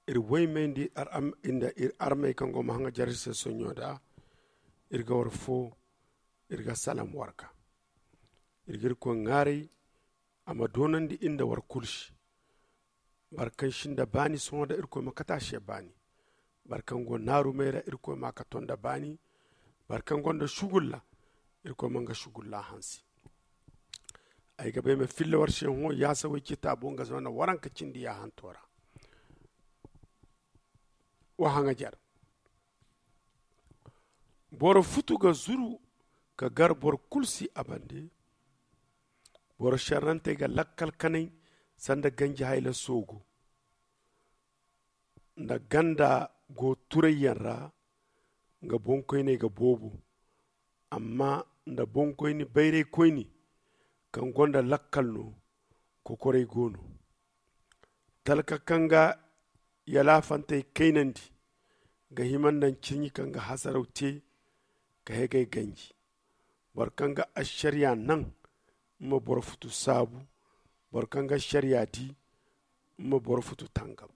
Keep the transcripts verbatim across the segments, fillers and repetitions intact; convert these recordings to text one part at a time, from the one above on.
Iri woymey nda iri armey kaŋ go ma haŋajer iri se sonɲo da, iri ga war fo, iri ga salam warka. Iri ga irkoy ŋaaray a ma doonandi iri nda war kulu se. Boro kaŋ sinda baani sohõ da irkoy ma kate a se baani. Boro kaŋ go naarumey ra irkoy ma a kato nda baani. Boro kaŋ gonda sugulla, irkoy ma nga sugulla hanse. Ay ga bay ma filla war se hõ yaasa way citaabo nga zama na waranka cindi yaahanto ra. Wa haŋajer. Boro futu ga zuru ka gar boro kulu si a bande. Boro šerrantey ga lakkal kanay sanda ganji hayla soogu. Nda ganda go turayyaŋ ra, nga boŋkoyney ga boobo. Amma nda boŋkoyni bayraykoyni kaŋ gonda lakkal no, kokoray go no. Talka kaŋ ga yalaafantey kaynandi ga hima nda ncirɲi kaŋ ga hasaraw te ka hegay ganji. Boro kaŋ ga ašariya naŋ, ma boro futu saabu. Boro kaŋ ga ašariya di, ma boro futu tangam.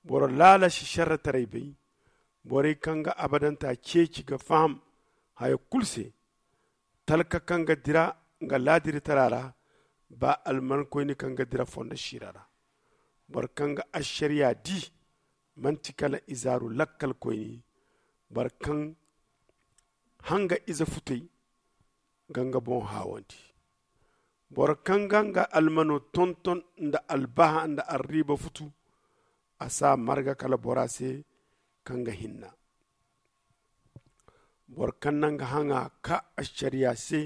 Boro laala si šerretaray bay. Borey kaŋ ga abadanta ceeci ga faham haya kulu se. Talka kaŋ ga dira nga laadirtara ra, ba almankoyni kaŋ ga dira fondo siira ra. Boro kaŋ ga ašariya di, manti kala izaaru lakkalkoyni. Boro kaŋ hanga ize futey ga nga boŋ haawandi. Boro kaŋ ga nga almano tonton nda albaha nda arriiba futu, a si a marga kala bora se kaŋ ga hinna. Boro kaŋ na nga haŋa ka ašariya se,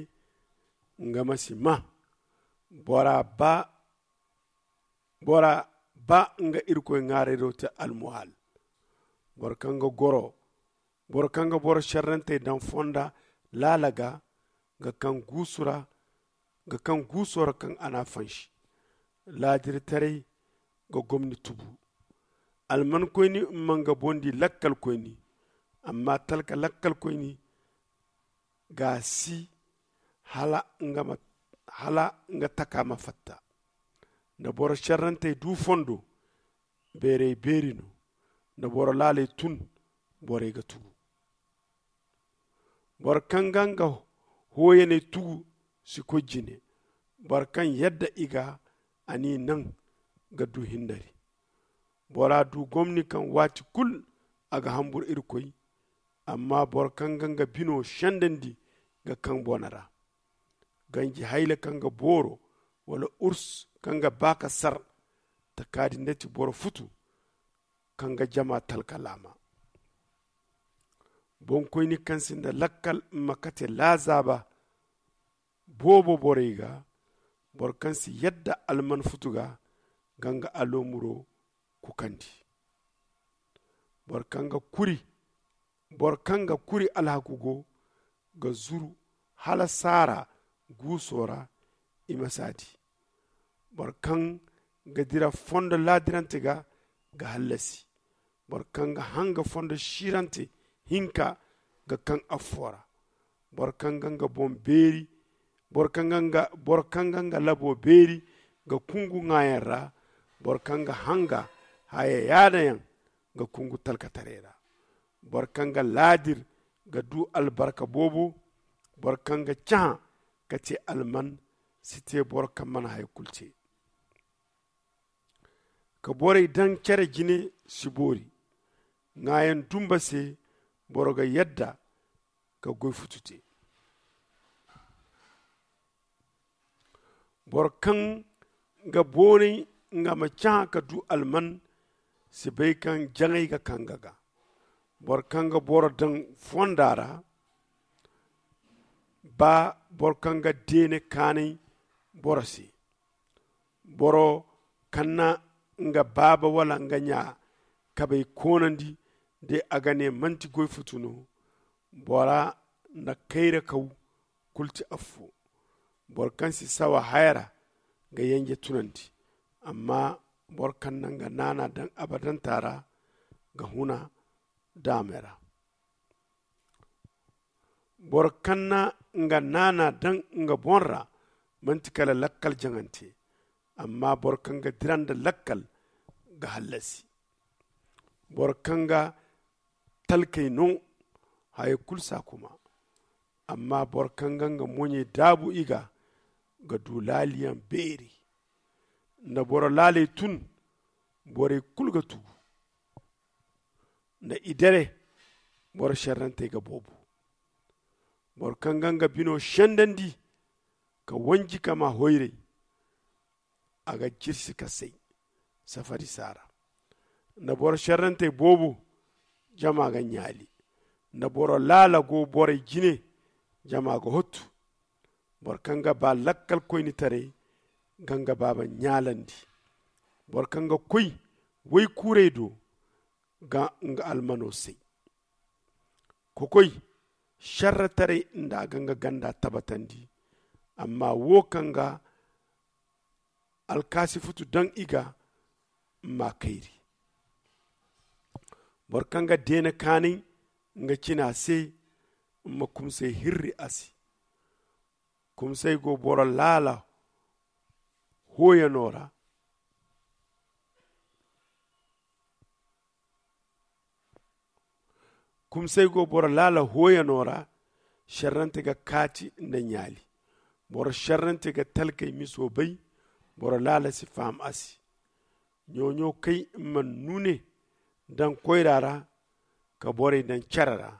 nga ma si maa. Bora ba bora ba nga irkoy ŋaarayro te almuhal. Boro kaŋ ga goro boro kaŋ ga boro šerrantey daŋ fonda laala ga ga kaŋ guusu ra ga kaŋ guuso ra kaŋ a n'a fansi. Laadirtaray ga gomni tubu. Almankoyni ma nga boŋ di lakkalkoyni. Amma talka lakkalkoyni ga si hala nga taka ma fatta. Nda boro šerrantey du fondo, beeray beeri no. Nda boro laaley tun, borey ga tugu. Boro kaŋ ga nga hooyaney tugu si koy jine. Boro kaŋ yadda i ga a n'i naŋ ga du hindari. Bora du gomni kaŋ waati kulu a ga hambur irkoy. Amma boro kaŋ ga nga bino sendandi ga kaŋ boona ra. Ganji hayla kaŋ ga booro wala urs kaŋ ga ba ka sar. Taka din da ti boro futu kaŋ ga jama talka laama. Boŋkoyni kaŋ sinda lakkal ma kate laazaaba boobo borey ga. Boro kaŋ si yadda alman futu ga ga nga aloomuro kukandi. Boro kaŋ ga kuri boro kaŋ ga kuri alhaku go ga zuru hala saara guuso ra. I ma si a di. Boro kaŋ ga dira fondo laadirante ga ga hallasi. Boro kaŋ ga hanga fondo siirante hinka ga kaŋ affo ra. Boro kaŋ ga nga boŋ beeri boro kaŋ ga nga boro kaŋ ga nga labo beeri ga kungu ŋaayaŋ ra. Boro kaŋ ga hanga haya yaadayaŋ ga kungu talkataray ra. Boro kaŋ ga laadir ga du albarka boobo. Boro kaŋ ga cahã ka te alman si te boro kaŋ mana haya kulu te. Ka borey daŋ cere jine si boori. Ŋaayaŋ dumba se boro ga yadda ka goy futu te. Boro kaŋ ga boonay nga ma cahã ka du alman si bay kaŋ jaŋay ga kaŋ nga ga. Boro kaŋ ga boro daŋ fonda ra ba boro kaŋ ga deene kaanay boro se. Boro kaŋ na nga baaba wala nga ɲa kabey koonandi de a ga ne manti goy futu no. Bora na kayra kaw kulu ti affo. Boro kaŋ si sawa haya ra ga yanje tunandi. Amma boro kaŋ na nga naana daŋ abadanta ra ga huna daamey ra. Boro kaŋ na nga naana daŋ nga boŋ ra manti kala lakkal jaŋante. Amma boro kaŋ ga dira nda lakkal ga hallasi. Boro kaŋ ga talkey no, haya kulu si a kuma. Amma boro kaŋ ga nga moɲey daabu i ga, ga du laaliyaŋ beeri. Nda boro laaley tun, borey kulu ga tugu. Nda i dere, boro šerrantey ga boobo. Boro kaŋ ga nga bino sendandi, ka wanji ka maa hoyray, a ga jirsi ka say safari saara. Nda boro šerrantey boobo, jama ga ɲaali. Nda boro laala go borey jine, jama ga hottu. Boro kaŋ ga ba lakkal koynitaray, ga nga baaba ɲaalandi. Boro kaŋ ga koy waykuurey do, ga nga almano say. Kokoy šerretaray nda a ga nga ganda tabatandi. Amma wo kaŋ ga alkaasi futu daŋ i ga, mma kayri. Boro kaŋ ga deena kaanay nga cina se, mma kumsay hirri a se. Kumsay go boro laala hooyano ra. Kumsay go boro laala hooyano ra. Šerrante ga kaati nda ɲaali. Boro šerrante ga talkey miso bay. Boro laala si faham a se. Ɲooɲo kay mma nune daŋ koyra ra, ka borey daŋ cere ra.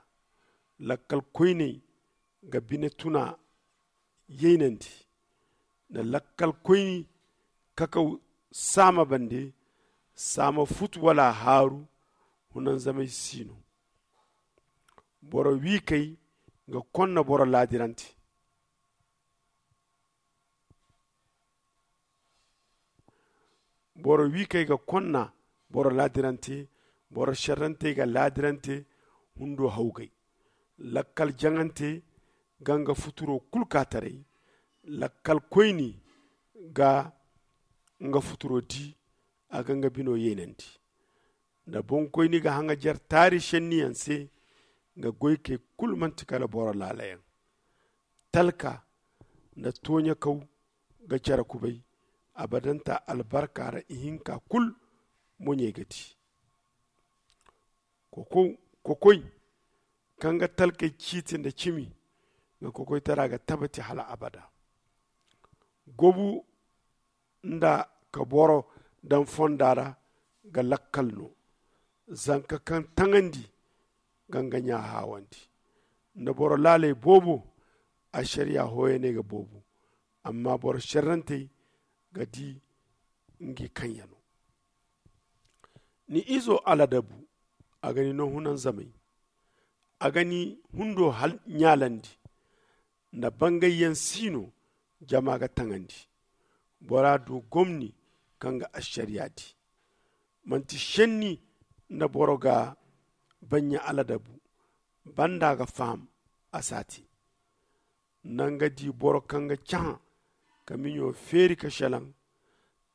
Lakkal koyney ga bine tuna yaynandi. Nda lakkal koyni kakaw saama bande, saama futu wala haaru, hunanzamay si no. Boro wiikey ga konna boro laadirante. Boro wiikey ga konna boro laadirante. Boro šerrantey ga laadirante hundo hawgay. Lakkal jaŋante ga nga futuro kulu ka taray. Lakkal koyni ga nga futuro di, a ga nga bino yeenandi. Nda boŋkoyni ga haŋajer taari šenniyaŋ se, nga goykey kulu manti kala boro laalayaŋ. Talka nda tooɲakaw ga cere kubay. Abadanta albarka ra ihinka kulu moɲey ga di. Kokoy kaŋ ga talkey ciiti nda cimi, nga kokoytara ga tabati hala abada. Gobu nda ka boro daŋ fonda ra ga lakkal no. Zanka kaŋ taŋandi ga nga ɲa haawandi. Nda boro laaley boobo, ašariya hooyaney ga boobo. Amma boro šerrantey ga di ngi kaŋyano. Ni izo aladabu, a ga ni no hunanzamay. A ga ni hundo ɲaalandi. Nda bangayyaŋ si no, jama ga taŋandi. Bora du gomni kaŋ ga ašariya di. Manti šenni nda boro ga baɲɲa aladabu. Banda ga faham a si a te. Nanga di boro kaŋ ga cahã ka miɲo feeri ka šelaŋ.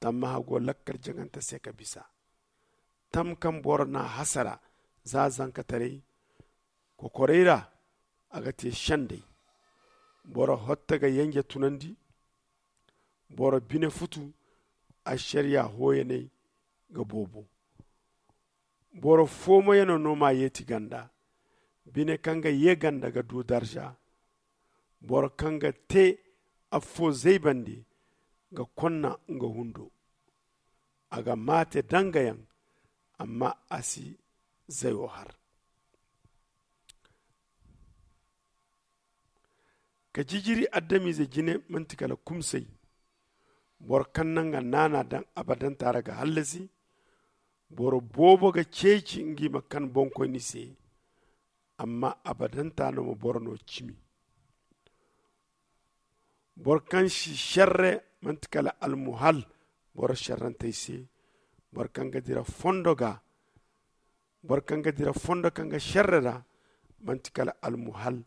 Tammaha go lakkal jaŋante se ka bisa. Tam kaŋ boro n'a hasara za zankataray kokoray ra, a ga te šenday. Boro hotta ga yanje tunandi. Boro bine futu ašariya hooyaney ga boobo. Boro foomoyano no m'a yeeti ganda. Bine kaŋ ga ye ganda ga du darza. Boro kaŋ ga te affo zaybandi ga konna nga hundo. A ga maate dangayaŋ, amma a si zayo har. Ka jijiri adamize jine manti kala kumsay. Boro kaŋ na nga naana daŋ abadanta ra ga hallasi. Boro boobo ga ceeci ngi ma kan boŋkoyni se. Amma abadanta no ma boro no cimi. Boro kaŋ si šerre manti kala almuhal boro šerrantey se. Boro kaŋ ga dira fondo ga boro kaŋ ga dira fondo kaŋ ga šerre ra manti kala almuhal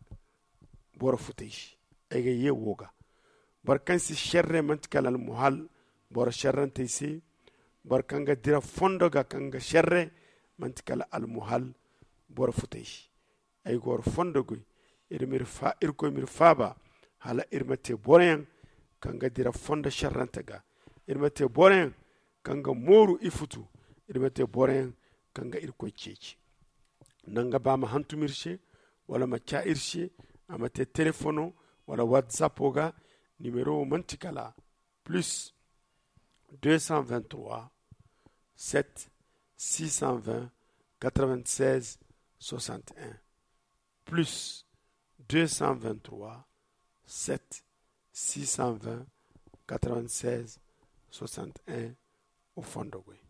boro futey se. Ay ga ye wo ga boro kaŋ si šerre manti kala almuhal boro šerrantey se. Boro kaŋ ga dira fondo ga kaŋ ga šerre manti kala almuhal boro futey se. Ay ga war fondo goy. Irkoy m'iri faaba hala iri ma te boroyaŋ kaŋ ga dira fondo šerrante ga. Iri ma te boroyaŋ kaŋ ga mooru i futu Iri ma te boro yaŋ kaŋ ga irkoy ceeci. Nanga ba ma hantum iri se, wala ma ca iri se. A ma te telefono wala whatsapp o ga. Nimero wo manti kala plus deux cent vingt-trois, sept, six cent vingt, quatre-vingt-seize, soixante et un. Plus deux cent vingt-trois, sept, six cent vingt, quatre-vingt-seize, soixante et un. O fondo goy.